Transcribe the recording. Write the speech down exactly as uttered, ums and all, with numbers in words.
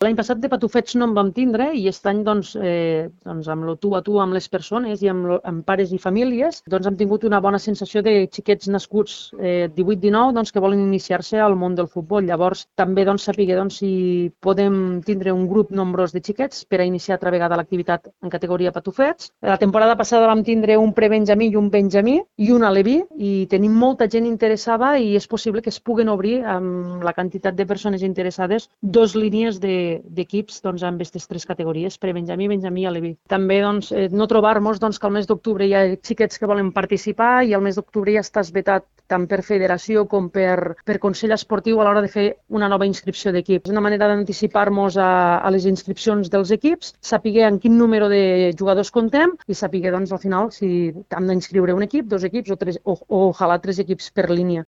L'any passat de patufets no en vam tindre i aquest any doncs, eh, doncs amb lo tu a tu amb les persones i amb, lo, amb pares i famílies doncs hem tingut una bona sensació de xiquets nascuts eh, divuit dinou doncs, que volen iniciar-se al món del futbol. Llavors també doncs, saber doncs, si podem tindre un grup nombrós de xiquets per a iniciar altra vegada l'activitat en categoria patufets. La temporada passada vam tindre un prebenjamí i un benjamí i un aleví i tenim molta gent interessada i és possible que es puguen obrir amb la quantitat de persones interessades dos línies de d'equips doncs, amb aquestes tres categories, prebenjamí, benjamí i aleví. També doncs, eh, no trobar-nos doncs, que al mes d'octubre hi ha xiquets que volen participar i al mes d'octubre ja està vetat tant per federació com per, per Consell Esportiu a l'hora de fer una nova inscripció d'equips. És una manera d'anticipar-nos a, a les inscripcions dels equips, saber en quin número de jugadors contem i saber doncs, al final si hem d'inscriure un equip, dos equips o, tres, o, o ojalà tres equips per línia.